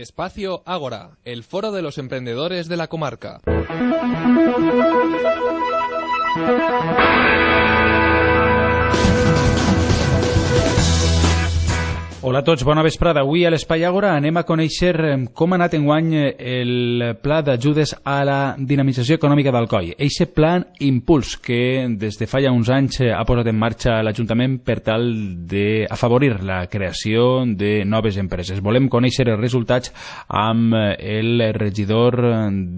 Espacio Ágora, el foro de los emprendedores de la comarca. Hola a tots, bona vesprada. Avui a l'Espai Àgora anem a conèixer com ha anat enguany el pla d'ajudes a la dinamització econòmica d'Alcoi. Eixe pla Impuls que des de fa ja uns anys ha posat en marxa l'Ajuntament per tal d'afavorir la creació de noves empreses. Volem conèixer els resultats amb el regidor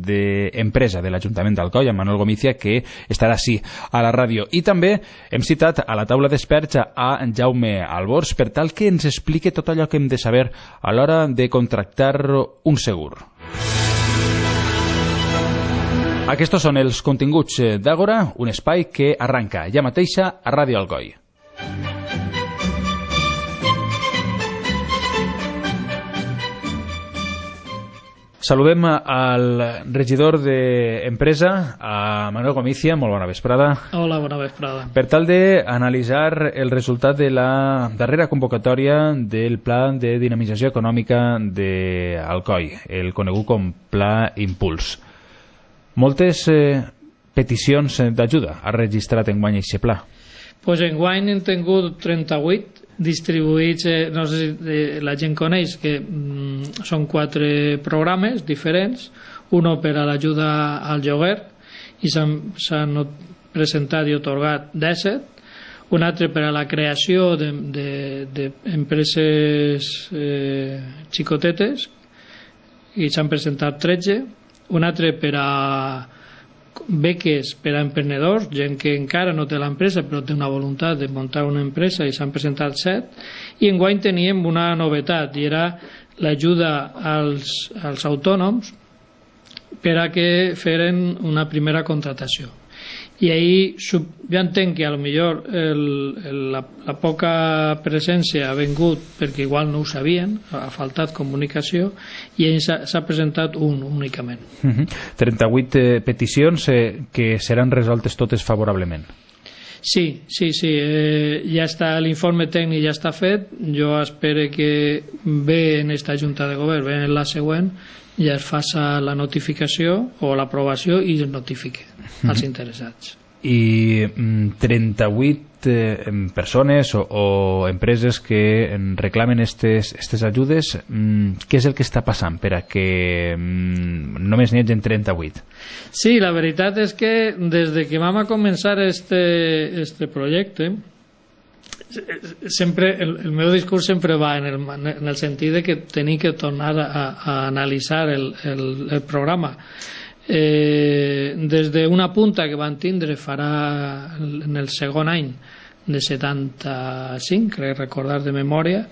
d'Empresa de l'Ajuntament d'Alcoi, en Manuel Gomizia, que estarà així a la ràdio. I també hem citat a la taula d'experts a Jaume Albors per tal que ens expliqui tot allò que hem de saber a l'hora de contractar un segur. Aquests són els continguts d'Àgora, un espai que arranca ja mateixa a Ràdio Alcoi. Saludem al regidor d'Empresa, a Manuel Gomizia. Molt bona vesprada. Hola, bona vesprada. Per tal d'analitzar el resultat de la darrera convocatòria del Pla de Dinamització Econòmica d'Alcoi, el conegut com Pla Impuls. Moltes peticions d'ajuda ha registrat enguany aquest pla. Pues enguany hem tingut 38 distribuïts, no sé si la gent coneix que són 4 programes diferents, uno per a l'ajuda al lloguer i s'han presentat i atorgat 17, un altre per a la creació d'empreses xicotetes i s'han presentat 13, un altre per a beques per a emprenedors, gent que encara no té l'empresa però té una voluntat de muntar una empresa i s'han presentat 7, i enguany teníem una novetat i era l'ajuda als autònoms per a que feren una primera contratació. I ahir jo entenc que potser la poca presència ha vingut perquè igual no ho sabien, ha faltat comunicació, i ahir s'ha presentat un únicament. 38 peticions que seran resoltes totes favorablement. Sí, ja està, l'informe tècnic ja està fet. Jo espero que bé en esta Junta de Govern, bé en la següent, ja es faça la notificació o l'aprovació i es notifique als interessats. I 38 persones o empreses que reclamen aquestes ajudes, què és el que està passant per a que només n'hi hagi 38? Sí, la veritat és que des de que vam a començar este projecte, sempre el meu discurs sempre va en el sentit de que tenim que tornar a analitzar el programa. Des d'una punta que van tindre farà en el segon any de 75, crec recordar de memòria,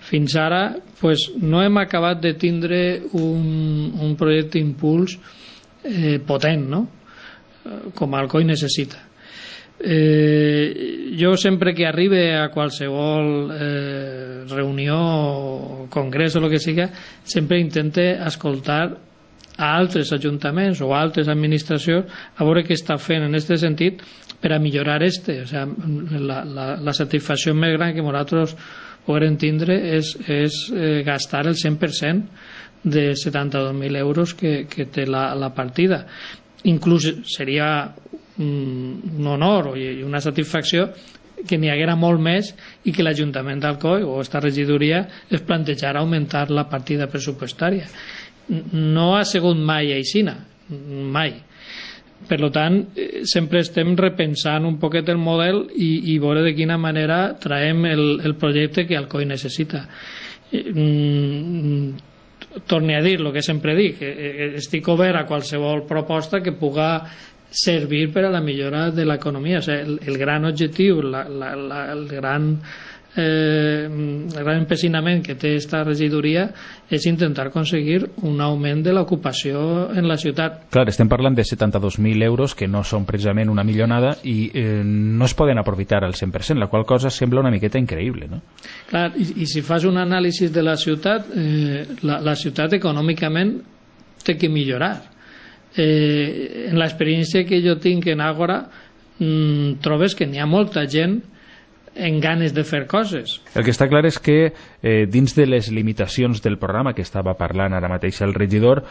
fins ara pues, no hem acabat de tindre un projecte impuls potent, no? Com Alcoi necessita. Jo sempre que arribe a qualsevol reunió o congrés o el que siga, sempre intente escoltar a altres ajuntaments o a altres administracions a veure què està fent en aquest sentit per a millorar o sigui, la satisfacció més gran que nosaltres podrem tindre és gastar el 100% de 72.000 euros que té la partida. Inclús seria un honor i una satisfacció que n'hi haguera molt més i que l'Ajuntament d'Alcoi o esta regidoria es plantejara augmentar la partida pressupostària. No ha sigut mai aixina, mai. Per tant, sempre estem repensant un poquet el model i veure de quina manera traiem el projecte que Alcoi necessita. Torni a dir el que sempre dic, estic obert a qualsevol proposta que puga servir per a la millora de l'economia. O sigui, el gran objectiu, el gran empecinament que té esta regidoria és intentar aconseguir un augment de l'ocupació en la ciutat. Clar, estem parlant de 72.000 euros que no són precisament una milionada i no es poden aprofitar al 100%, la qual cosa sembla una miqueta increïble, no? Clar, i si fas un anàlisi de la ciutat, la ciutat econòmicament té que millorar. En l'experiència que jo tinc en Àgora trobes que n'hi ha molta gent en ganes de fer coses. El que està clar és que dins de les limitacions del programa que estava parlant ara mateix el regidor,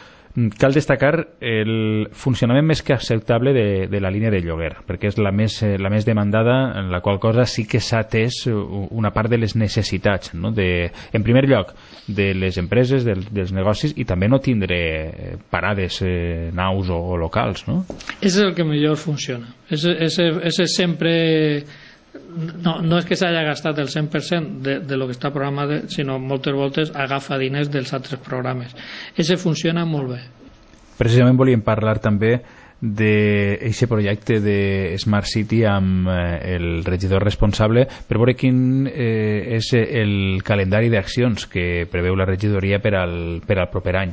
cal destacar el funcionament més que acceptable de la línia de lloguer, perquè és la més demandada, en la qual cosa sí que s'ha atès una part de les necessitats, no? En primer lloc, de les empreses, dels negocis, i també no tindre parades, naus o locals, no? És el que millor funciona. És sempre... No és que s'hagi gastat el 100% de lo que està programat, sinó moltes voltes agafa diners dels altres programes. Ese funciona molt bé. Precisament volíem parlar també d'aquest projecte de Smart City amb el regidor responsable per veure quin és el calendari d'accions que preveu la regidoria per al proper any.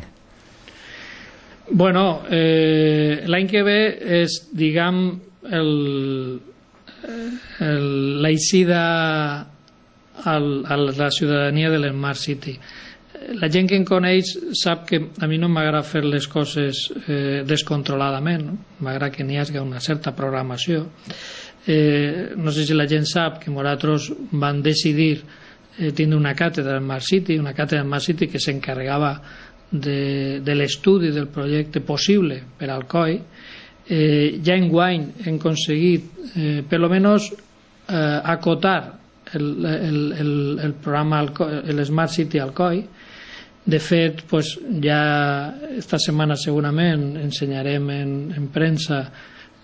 Bueno, l'any que ve és, diguem, l'eixida a la ciutadania de l'Smart City. La gent que em coneix sap que a mi no m'agrada fer les coses descontroladament, no? M'agrada que n'hi hagi una certa programació. No sé si la gent sap que nosaltres vam decidir tindre una càtedra Smart City que s'encarregava de l'estudi del projecte possible per al COI. Ja enguany hem aconseguit per lo menos acotar el programa l'Smart City al COI. De fet, pues, ja esta setmana segurament ensenyarem en premsa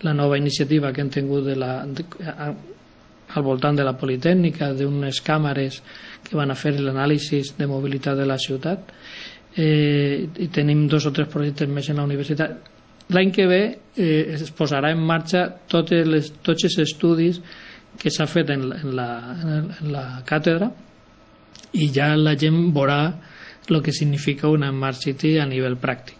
la nova iniciativa que hem tingut al voltant de la Politècnica, d'unes càmeres que van a fer l'anàlisi de mobilitat de la ciutat, i tenim 2 o 3 projectes més en la universitat. L'any que ve es posarà en marxa tots els estudis que s'ha fet en la càtedra, i ja la gent veurà el que significa una Smart City a nivell pràctic.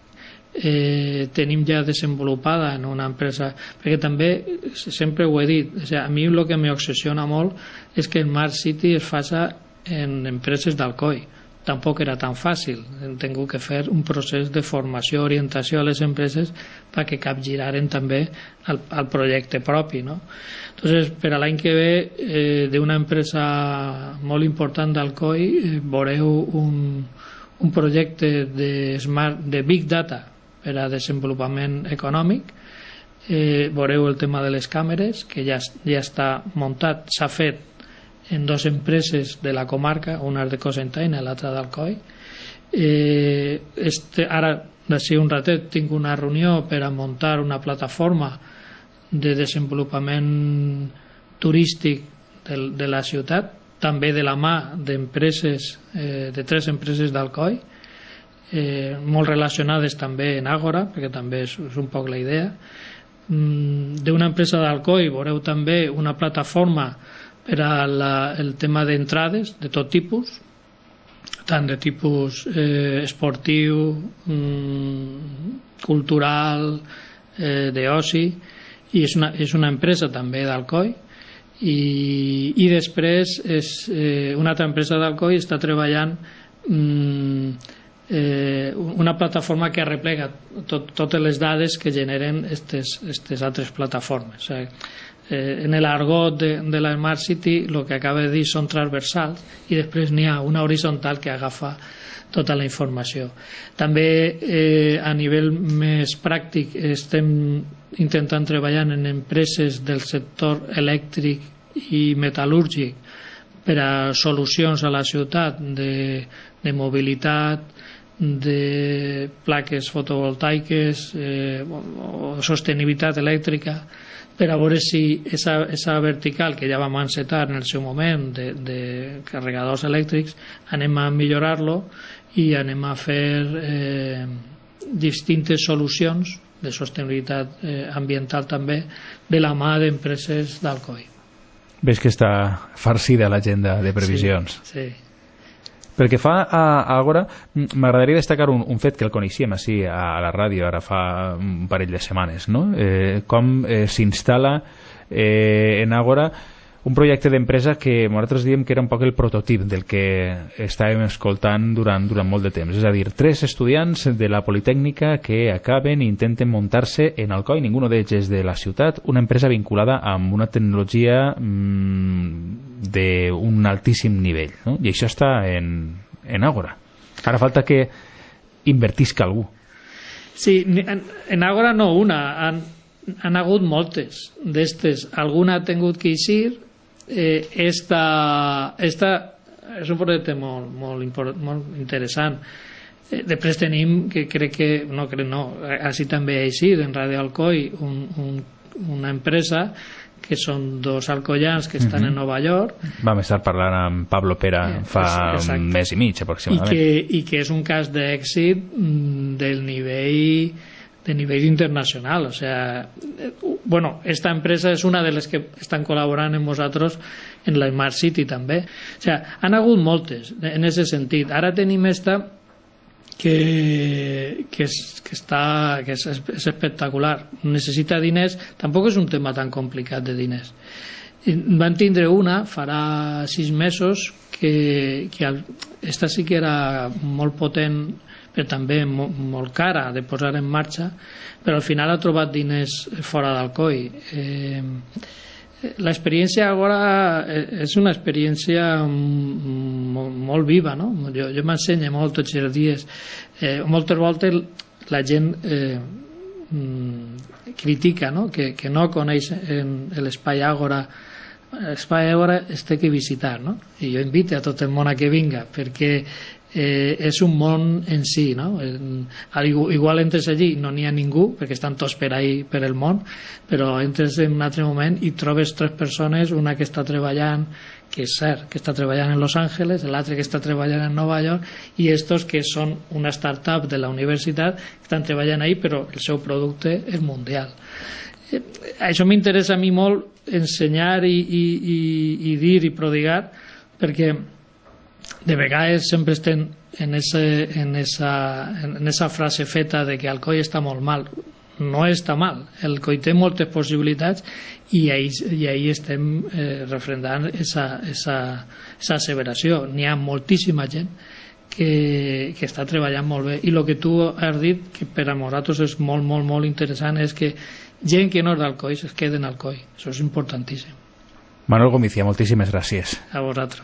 Tenim ja desenvolupada en una empresa, perquè també sempre ho he dit, a mi el que m'obsessiona molt és que Smart City es faci en empreses d'Alcoi. Tampoc era tan fàcil, hem tingut que fer un procés de formació, orientació a les empreses perquè capgiraren també el projecte propi, no? Entonces, per a l'any que ve, d'una empresa molt important d'Alcoi, veureu un projecte de Big Data per a desenvolupament econòmic. Veureu el tema de les càmeres, que ja està muntat, s'ha fet en 2 empreses de la comarca, una és de Cocentaina i l'altra d'Alcoi. Ara, d'ací un ratet, tinc una reunió per a muntar una plataforma de desenvolupament turístic de la ciutat, també de la mà d'empreses, de 3 empreses d'Alcoi, molt relacionades també en Àgora, perquè també és un poc la idea. D'una empresa d'Alcoi veureu també una plataforma per al tema d'entrades de tot tipus, tant de tipus esportiu, cultural, d'oci, i és una empresa també d'Alcoi. I després una altra empresa d'Alcoi està treballant una plataforma que arreplega totes les dades que generen aquestes altres plataformes. En l'argot de la Smart City el que acaba de dir són transversals, i després n'hi ha una horitzontal que agafa tota la informació. També a nivell més pràctic estem intentant treballar en empreses del sector elèctric i metal·lúrgic per a solucions a la ciutat de mobilitat, de plaques fotovoltaiques o sostenibilitat elèctrica, per a veure si esa vertical que ja vam encetar en el seu moment de carregadors elèctrics anem a millorar-lo i anem a fer distintes solucions de sostenibilitat ambiental també de la mà d'empreses d'Alcoi. Ves que està farcida l'agenda de previsions. Sí. Pel que fa a Àgora, m'agradaria destacar un fet que el coneixíem així a la ràdio ara fa un parell de setmanes, no? Com s'instal·la en Àgora un projecte d'empresa que nosaltres diem que era un poc el prototip del que estàvem escoltant durant molt de temps. És a dir, 3 estudiants de la Politècnica que acaben i intenten muntar-se en Alcoi, ninguno d'ells és de la ciutat, una empresa vinculada amb una tecnologia d'un altíssim nivell, no? I això està en Ágora. Ara falta que invertisca algú. Sí, en Ágora no una, han hagut moltes d'estes. Alguna ha tingut que eixir. Esta és un projecte molt interessant. Després tenim, que crec que així també ha eixit en Radio Alcoi, una empresa que són dos alcoians que estan en Nova York. Vam estar parlant amb Pablo Pera fa un mes i mig aproximadament. I que és un cas d'èxit del nivell internacional. O sea, esta empresa és una de les que estan col·laborant amb nosaltres en la Smart City també. O sea, han hagut moltes en aquest sentit. Ara tenim esta que és espectacular. Necessita diners. Tampoc és un tema tan complicat de diners. Van tindre una farà 6 mesos que esta sí que era molt potent, però també molt cara de posar en marxa, però al final ha trobat diners fora d'Alcoi. L'experiència Ágora és una experiència molt viva, no? Jo m'ensenyo molt tots els dies. Moltes voltes la gent critica, no? Que no coneix l'espai Ágora. L'espai Ágora es té que visitar, no? I jo invito a tot el món a que vinga, perquè és un món en si, no? Igual entres allí no n'hi ha ningú perquè estan tots per ahí per el món, però entres en un altre moment i trobes 3 persones, una que està treballant, que és cert, que està treballant en Los Angeles, l'altre que està treballant en Nova York, i estos que són una startup de la universitat que estan treballant ahí, però el seu producte és mundial. Això m'interessa a mi molt ensenyar i dir i prodigar, perquè de vegades sempre estem en esa frase feta de que Alcoi està molt mal. No està mal, Alcoi té moltes possibilitats i ahí estem refrendant esa asseveració. N'hi ha moltíssima gent que està treballant molt bé, i el que tu has dit, que per a nosaltres és molt, molt, molt interessant, és que gent que no és d'Alcoi es queda en Alcoi. Això és importantíssim. Manuel Gomizia, moltíssimes gràcies. A vosaltres.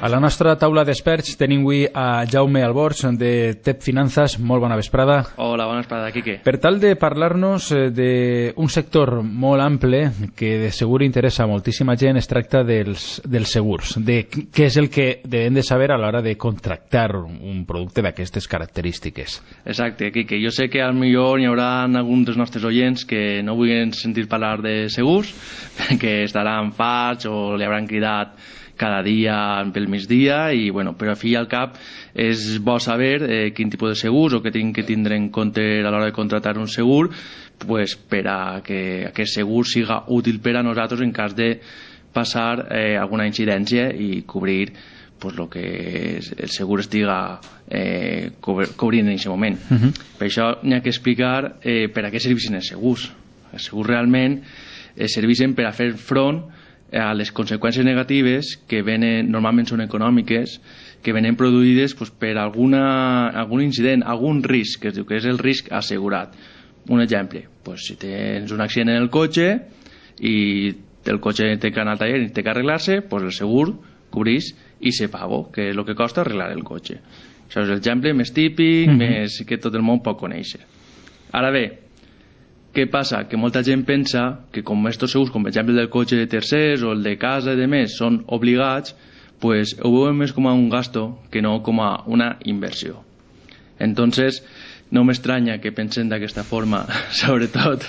A la nostra taula d'experts tenim avui a Jaume Alborz de TEP Finanzas. Molt bona vesprada. Hola, bona vesprada, Quique. Per tal de parlar-nos d'un sector molt ample que de segur interessa a moltíssima gent, es tracta dels segurs, de què és el que devem de saber a l'hora de contractar un producte d'aquestes característiques. Exacte, Quique. Jo sé que potser hi haurà alguns dels nostres oients que no vulguin sentir parlar de segurs, que estaran farts o li hauran cridat cada dia pel migdia, i però al fi i al cap és bo saber quin tipus de segurs o què tinc que tindre en compte a l'hora de contractar un segur, per a que aquest segur siga útil per a nosaltres en cas de passar alguna incidència i cobrir el que el segur estiga cobrint en aquest moment. Per això n'hi ha que explicar per a què serveixen els segurs. Els segurs realment serveixen per a fer front a les conseqüències negatives que venen, normalment són econòmiques, que venen produïdes per algun incident, algun risc, que es diu que és el risc assegurat. Un exemple, si tens un accident en el cotxe i el cotxe té que anar al taller i té que arreglar-se, el segur cobreix i se pago, que és el que costa arreglar el cotxe. Això és l'exemple més típic, més que tot el món pot conèixer. Ara bé, què passa? Que molta gent pensa que com estos segurs, com per exemple el del cotxe de tercers o el de casa i demés, són obligats, ho veuen més com a un gasto que no com a una inversió. Entonces, no m'estranya que pensen d'aquesta forma, sobretot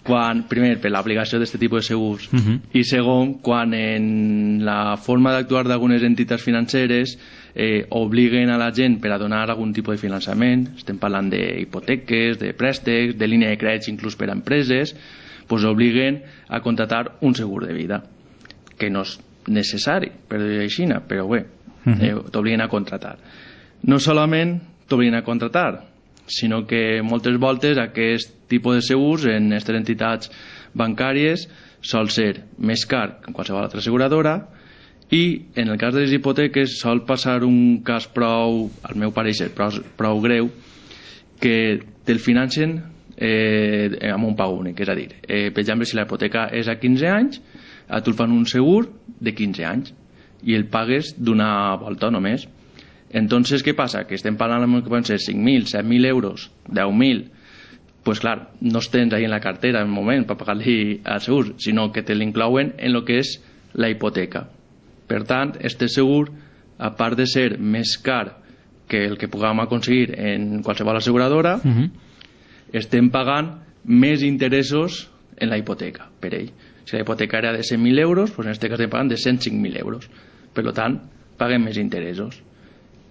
quan, primer, per l'aplicació d'aquest tipus de segurs, i segon, quan en la forma d'actuar d'algunes entitats financeres obliguen a la gent per a donar algun tipus de finançament, estem parlant d'hipoteques, de préstecs, de línia de crèdits inclús per a empreses, obliguen a contractar un segur de vida, que no és necessari, per dir-ho així, però bé, t'obliguen a contractar. No solament t'obliguen a contractar, sinó que moltes voltes aquest tipus de segurs en aquestes entitats bancàries sol ser més car que en qualsevol altra asseguradora I en el cas de les hipoteques sol passar un cas prou, al meu pareixer, prou greu, que te'l financen amb un pagament únic, és a dir, per exemple, si la hipoteca és a 15 anys, a tu el fan un segur de 15 anys i el pagues d'una volta només. Entonces, què passa? Que estem parlant que poden ser 5.000, 7.000 euros, 10.000, pues clar, no els tens ahí en la cartera en el moment per pagar-li al segur, sinó que te l'inclouen en el que és la hipoteca. Per tant, este segur, a part de ser més car que el que puguem aconseguir en qualsevol asseguradora, estem pagant més interessos en la hipoteca per ell. Si la hipoteca era de 100.000 euros, doncs en aquest cas estem pagant de 105.000 euros. Per tant, paguem més interessos.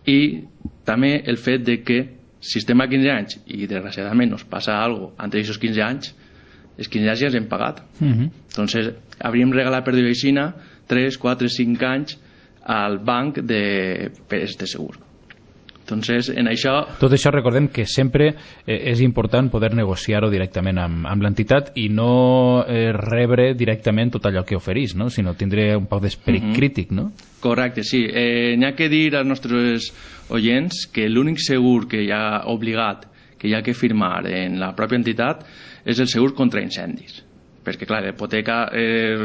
I també el fet de que si estem a 15 anys i desgraciadament nos passa alguna cosa entre aquests 15 anys, els 15 anys ja els hem pagat. Entonces, hauríem regalat per dir aixina 3, 4, 5 anys al banc per este segur. Entonces, en això... Tot això recordem que sempre és important poder negociar-ho directament amb l'entitat i no rebre directament tot allò que oferís, no? Sinó tindre un poc d'esperit crític, no? Correcte, sí. N'hi ha que dir als nostres oients que l'únic segur que hi ha obligat, que hi ha que firmar en la pròpia entitat, és el segur contra incendis. Perquè, clar, la hipoteca,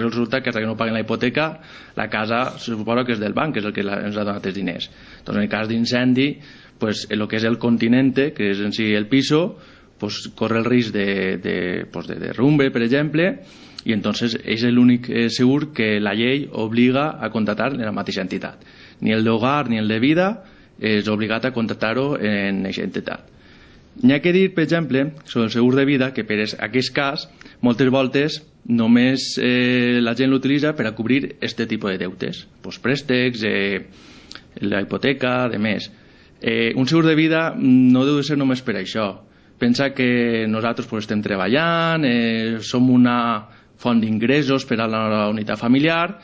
resulta que hasta que no paguen la hipoteca, la casa se suposa que és del banc, que és el que ens ha donat els diners. Doncs en el cas d'incendi, pues, el que és el continente, que és en si el piso, pues, corre el risc de derrumbe, per exemple, i entonces és l'únic segur que la llei obliga a contractar en la mateixa entitat. Ni el d'hogar ni el de vida és obligat a contractar-ho en aquesta entitat. N'hi ha que dir, per exemple, sobre el segur de vida, que per aquest cas, moltes voltes només la gent l'utilitza per a cobrir aquest tipus de deutes, pues préstecs, la hipoteca, de més. Un segur de vida no deu de ser només per això. Pensa que nosaltres pues, estem treballant, som una font d'ingressos per a la unitat familiar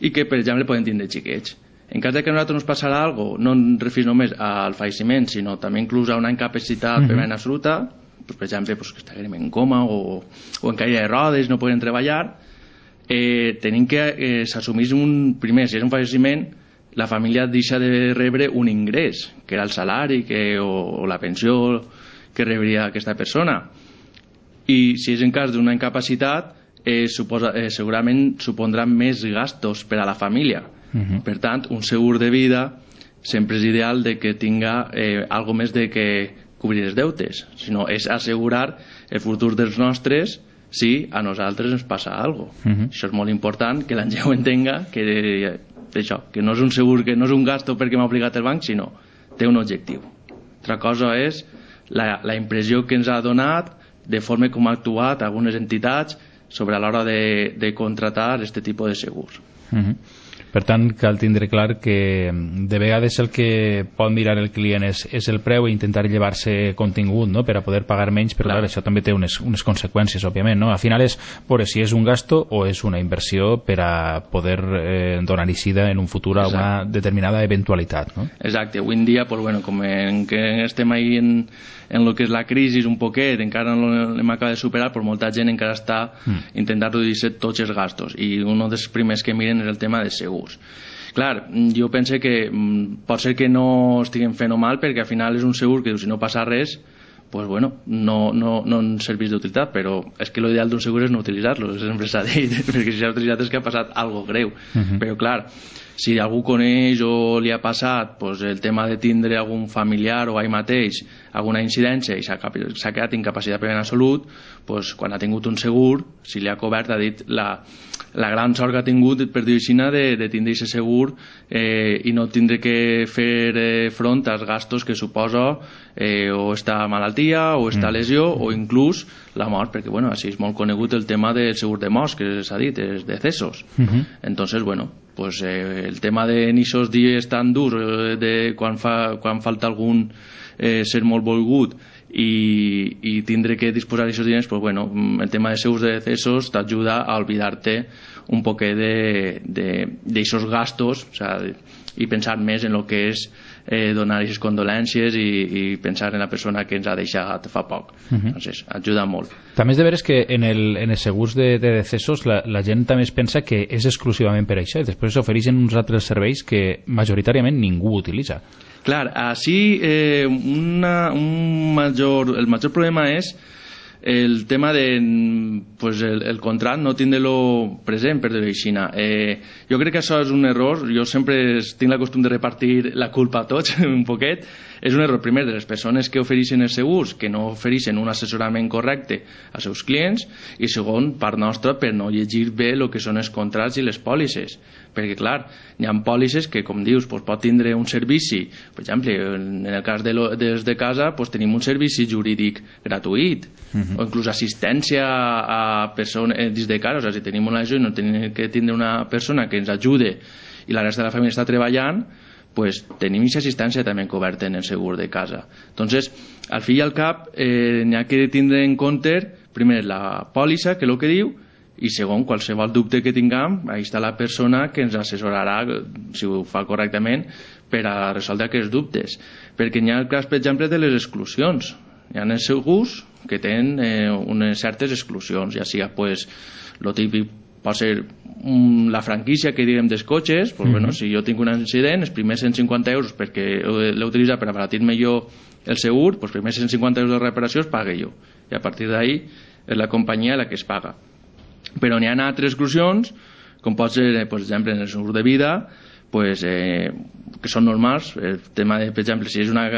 i que, per exemple, podem tindre xiquets. En cas de que a nosaltres nos passarà alguna cosa, no ens referim només al falleciment, sinó també inclús a una incapacitat permanent absoluta, pues, per exemple, pues, que estiguem en coma o en caïda de rodes, no podem treballar, tenim que s'assumís primer, si és un falleciment, la família deixa de rebre un ingrés, que era el salari o la pensió que rebria aquesta persona. I si és en cas d'una incapacitat, segurament supondrà més gastos per a la família. Per tant, un segur de vida sempre és ideal de que tinga algo més de que cobrir els deutes, sinó és assegurar el futur dels nostres si a nosaltres ens passa alguna cosa. Això és molt important, que la gent ho entenga, que no és un segur, que no és un gasto perquè m'ha obligat el banc, sinó té un objectiu. Altra cosa és la impressió que ens ha donat de forma com ha actuat algunes entitats sobre a l'hora de contratar aquest tipus de segurs. Per tant, cal tindre clar que de vegades el que pot mirar el client és el preu i intentar llevar-se contingut, no?, per a poder pagar menys, però clar, això també té unes conseqüències, òbviament, no? Al final és veure si és un gasto o és una inversió per a poder donar eixida en un futur a una determinada eventualitat, no? Exacte. Avui en dia, pues, bueno, com que estem ahí en el que és la crisi un poquet, encara no l'hem acabat de superar, però molta gent encara està intentant reduir tots els gastos, i un dels primers que miren és el tema de segurs. Clar, jo penso que pot ser que no estiguem fent mal, perquè al final és un segur que si no passa res, pues bueno, no ens serveix d'utilitat, però és que l'ideal d'un segur és no utilitzar-lo, sempre s'ha dit, perquè si s'ha utilitzat és que ha passat alguna greu. Però clar, si algú coneix o li ha passat pues, el tema de tindre algun familiar o ell mateix alguna incidència i s'ha quedat incapacitat per a salut, pues, quan ha tingut un segur, si li ha cobert, ha dit la gran sort que ha tingut, per dir-ho així, de tindre aquest segur i no tindre que fer front als gastos que suposa o esta malaltia o esta lesió o inclús la mort, perquè bueno, així és molt conegut el tema del segur de mort, que s'ha dit, els decessos. Entonces, bueno, pues, el tema de n'ixos dies tan durs quan falta algun ser molt volgut i tindre que disposar d'aquests diners, pues, bueno, el tema de segurs de decessos t'ajuda a oblidar-te un poquet d'aquests gastos, o sea, i pensar més en el que és donar les condolències i pensar en la persona que ens ha deixat fa poc. Entonces, ajuda molt. També és de veres que en els segurs de decessos la gent també es pensa que és exclusivament per això i després s'ofereixen uns altres serveis que majoritàriament ningú utilitza. Clar, així el major problema és el tema de pues, el contrat no tindre-lo present, per dir-ho així. Jo crec que això és un error. Jo sempre tinc la costum de repartir la culpa a tots un poquet. És un error, primer, de les persones que ofereixen els segurs, que no ofereixen un assessorament correcte als seus clients, i segon, part nostra, per no llegir bé el que són els contrats i les pòlisses. Perquè, clar, hi ha pòlisses que, com dius, pot tindre un servici. Per exemple, en el cas des de casa, tenim un servici jurídic gratuït, o inclús assistència a persones des de casa. O sigui, si tenim una ajuda i no tenim que tindre una persona que ens ajude i la resta de la família està treballant, pues tenim aquesta assistència també coberta en el segur de casa. Entonces, al fi i al cap, n'hi ha que tindre en compte, primer, la pòlissa, que és el que diu, i segon, qualsevol dubte que tinguem, ahí està la persona que ens assessorarà, si ho fa correctament, per a resoldre aquests dubtes. Perquè n'hi ha el cas, per exemple, de les exclusions. Hi ha els segurs que tenen unes certes exclusions, ja sigui, pues, lo típic pot ser la franquícia que diguem dels cotxes, pues, bueno, si jo tinc un accident, els primers 150 euros perquè l'he utilitzat per abaratir-me jo el segur, els primers 150 euros de reparació els pague jo, i a partir d'ahí és la companyia la que es paga. Però n'hi ha altres exclusions, com pot ser, per exemple, en el segur de vida, pues, que són normals. El tema de, per exemple, si és una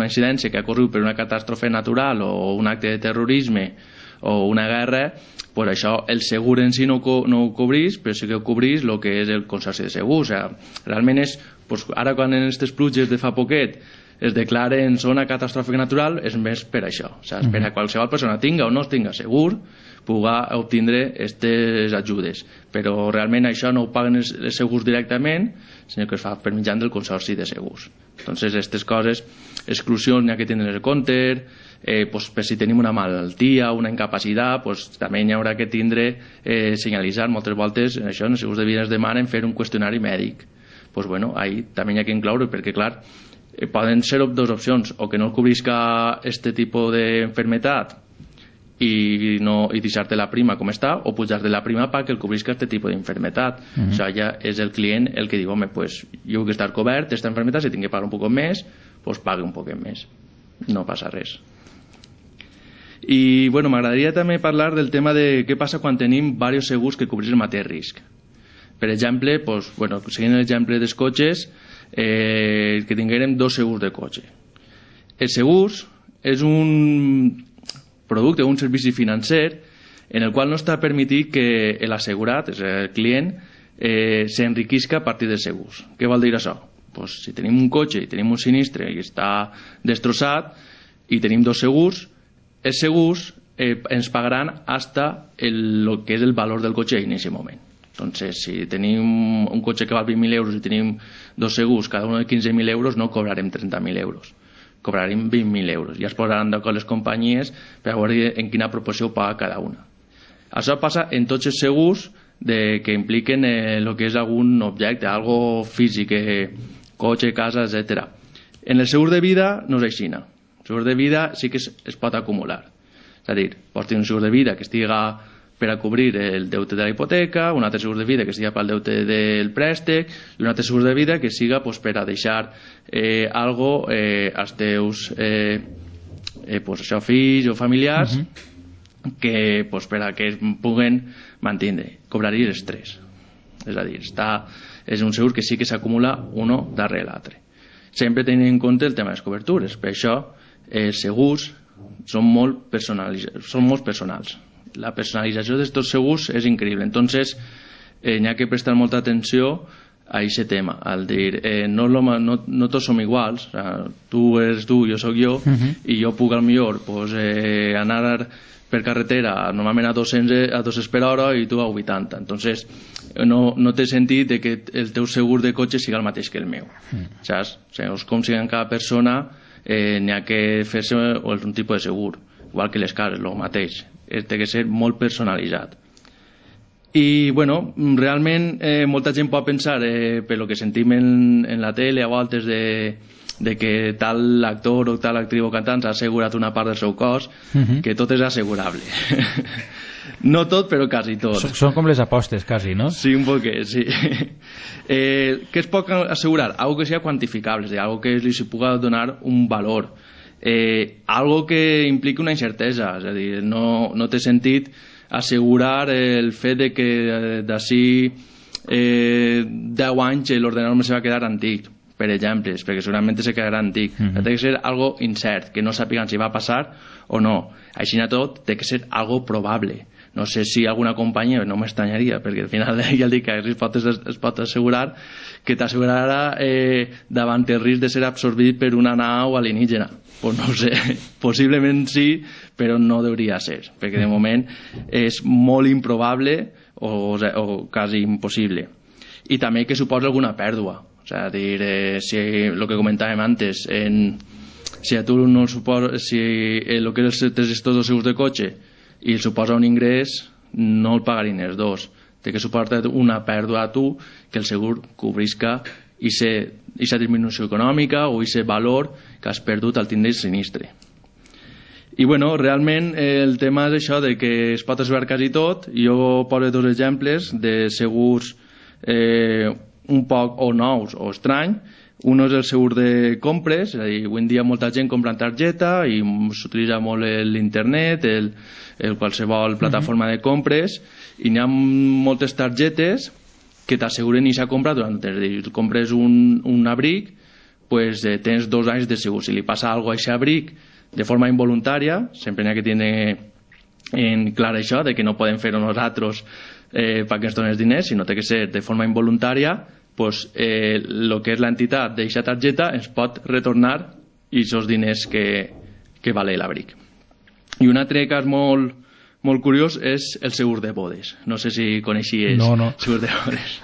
incidència que ha ocorregut per una catàstrofe natural o un acte de terrorisme o una guerra, pues això el segur en si no ho cobrís, però sí que ho cobrís el que és el consorci de segurs. O sigui, realment és, pues, ara quan en aquestes pluges de fa poquet es declaren zona catàstrofe natural, és més per això. O sigui, per a qualsevol persona tinga o no tinga segur, pugui obtindre aquestes ajudes. Però realment això no ho paguen els segurs directament, sinó que es fa per mitjà del consorci de segurs. Entonces, aquestes coses, exclusions n'hi ha que tindre en compte, pues, per si tenim una malaltia, una incapacitat, pues, també n'hi haurà que tindre senyalitzar. Moltes voltes això en els segurs de vida es demanen fer un qüestionari mèdic. Pues, bueno, ahí també n'hi ha que incloure, perquè clar, poden ser dues opcions, o que no cobrisca este tipus d'enfermetat i deixar-te la prima com està, o pujar-te la prima perquè el cobrisca aquest tipus d'enfermetat. O sigui, ja és el client el que diu, home, pues, jo vull estar cobert aquesta enfermetat, si tinc que pagar un poc més, pues pague un poc més, no passa res. I bueno, m'agradaria també parlar del tema de què passa quan tenim diversos segurs que cobreixen el mateix risc. Per exemple, pues, bueno, seguint l'exemple dels cotxes, que tinguérem dos segurs de cotxe. Els segurs és un producte, un servici financer en el qual no està permitit que l'assegurat, és el client, s'enriquisca a partir dels segurs. Què vol dir això? Pues, si tenim un cotxe i tenim un sinistre i està destrossat i tenim dos segurs, els segurs ens pagaran hasta el que és el valor del cotxe en aquest moment. Entonces, si tenim un cotxe que val 20.000 euros i tenim dos segurs, cada un de 15.000 euros, no cobrarem 30.000 euros, cobrarem 20.000 euros. Ja es posaran d'acord les companyies per veure en quina proporció paga cada una. Això passa en tots els segurs que impliquen el que és algun objecte, algo físic, cotxe, casa, etc. En el segur de vida no és així. El segur de vida sí que es pot acumular. És a dir, pots tenir un segur de vida que estiga per a cobrir el deute de la hipoteca, un altre segur de vida que estiga pel deute del préstec i un altre segur de vida que siga per a deixar algo als teus fills o familiars que per a que es puguen mantenir. Cobraries els tres. És a dir, és un segur que sí que s'acumula uno darrere l'altre. Sempre tenint en compte el tema de les cobertures. Per això els segurs són molt personals. La personalització d'aquests segurs és increïble. Entonces, n'hi ha que prestar molta atenció a aquest tema, al dir, no tots som iguals, tu eres tu, jo sóc jo, i jo puc al millor anar per carretera normalment a 200 per hora i tu a 80. Entonces, no té sentit que el teu segur de cotxe sigui el mateix que el meu. Saps? Segons com sigui cada persona, n'hi ha que fer-se un tipus de segur, igual que les cases, el mateix. Té que ser molt personalitzat. I, bueno, realment molta gent pot pensar, per lo que sentim en la tele o altres de que tal actor o tal actriu o cantant s'ha assegurat una part del seu cos, que tot és assegurable. No tot, però quasi tot. Són com les apostes, quasi, no? Sí, un poquet, sí. Què es pot assegurar? Algo que sea quantificable, és a dir, algo que li se pugui donar un valor. Algo que impliqui una incertesa, és a dir, no té sentit assegurar el fet de que d'ací 10 anys l'ordenador se va quedar antic, per exemple, perquè segurament se quedarà antic. Té que ser algo incert, que no sàpiguen si va passar o no. Així tot, té que ser algo probable. No sé si alguna companyia, no m'estranyaria, perquè al final ja dic que es pot assegurar que t'assegurarà davant el risc de ser absorbit per una nau alienígena. Pues no ho sé, possiblement sí, però no hauria ser, perquè de moment és molt improbable o quasi impossible. I també que suposa alguna pèrdua. O sigui, si el que comentàvem antes, si a tu no suposa, si el que és els gestors de segurs de cotxe i suposa un ingrés, no el pagarien els dos. Té que suportar una pèrdua a tu que el segur cobrisca aquesta disminució econòmica o aquest valor que has perdut al tindre el sinistre. I bueno, realment el tema és això de que es pot assegurar quasi tot. Jo poso dos exemples de segurs un poc o nous o estrany. Un és el segur de compres, és a dir, avui en dia molta gent compra en targeta i s'utilitza molt l'internet, qualsevol plataforma de compres, i n'hi ha moltes targetes que t'asseguren aquesta compra durant, és a dir, compres un abric, pues tens 2 anys de segur. Si li passa alguna cosa a aquest abric de forma involuntària, sempre n'hi ha que tenir en clar això, de que no podem fer-ho nosaltres perquè ens donen els diners, sinó que té que ser de forma involuntària, pues el que és l'entitat d'aquesta targeta ens pot retornar aquests diners que vale l'abric. I un altre cas molt curiós és el segur de bodes. No sé si coneixies segur de bodes.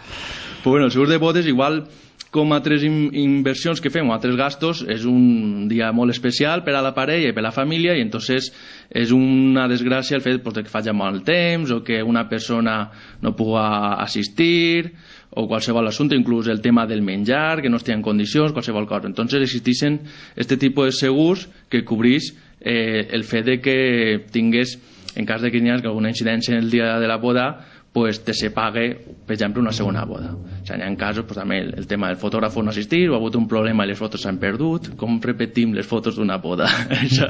Pues bueno, el segur de bodes, igual com altres inversions que fem o altres gastos, és un dia molt especial per a la parella i per a la família, i entonces és una desgràcia el fet de que faci mal temps o que una persona no pugui assistir o qualsevol assumpte, inclús el tema del menjar, que no estigui en condicions, qualsevol cosa. Entonces existeixen este tipus de segurs que cobrís el fet de que tingués, en cas de que hi hagi alguna incidència en el dia de la boda, pues te se pague, per exemple, una segona boda. O sigui, hi ha casos, pues, també el tema del fotògraf no assistir, o ha hagut un problema i les fotos s'han perdut. Com repetim les fotos d'una boda? Això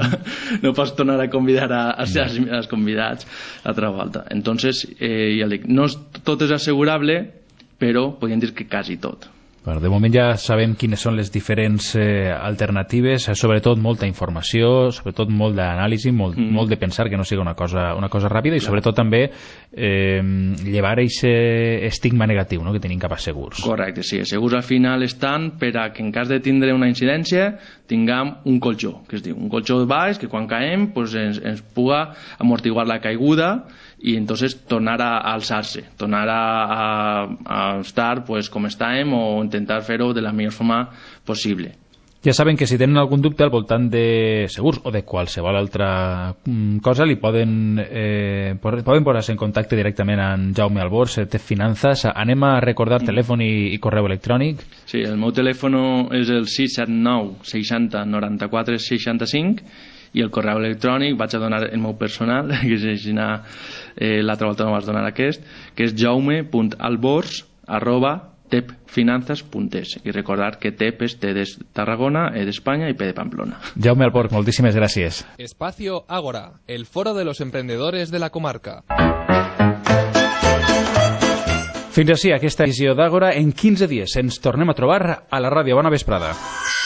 no pots tornar a convidar als convidats altra volta. Entonces, ja dic, no tot és assegurable, però podríem dir que quasi tot. Bueno, de moment ja sabem quines són les diferents alternatives, sobretot molta informació, sobretot molt d'anàlisi, molt de pensar, que no sigui una cosa ràpida, i sobretot també llevar aquest estigma negatiu, no?, que tenim cap a segurs. Correcte, sí, els segurs al final estan per a que en cas de tindre una incidència tinguem un colxó, que es diu, un colxó baix que quan caem pues, ens puga amortiguar la caiguda i entonces tornar a alçar-se, tornar a estar pues, com estàvem o intentar fer-ho de la millor forma possible. Ja saben que si tenen algun dubte al voltant de segurs o de qualsevol altra cosa, li poden posar-se en contacte directament amb Jaume Albors, TEP Finanzas. Anem a recordar telèfon i correu electrònic. Sí, el meu telèfon és el 679 60 94 65 i el correu electrònic vaig a donar el meu personal, que és així, l'altra volta no vas donar aquest, que és jaume.albors@tepfinanzas.es, i recordar que TEP és T de Tarragona, E d'Espanya i P de Pamplona. Jaume Albors, moltíssimes gràcies. Espacio Ágora, el foro de los emprendedores de la comarca. Fins així aquesta edició d'Àgora. En 15 dies ens tornem a trobar a la ràdio. Bona vesprada.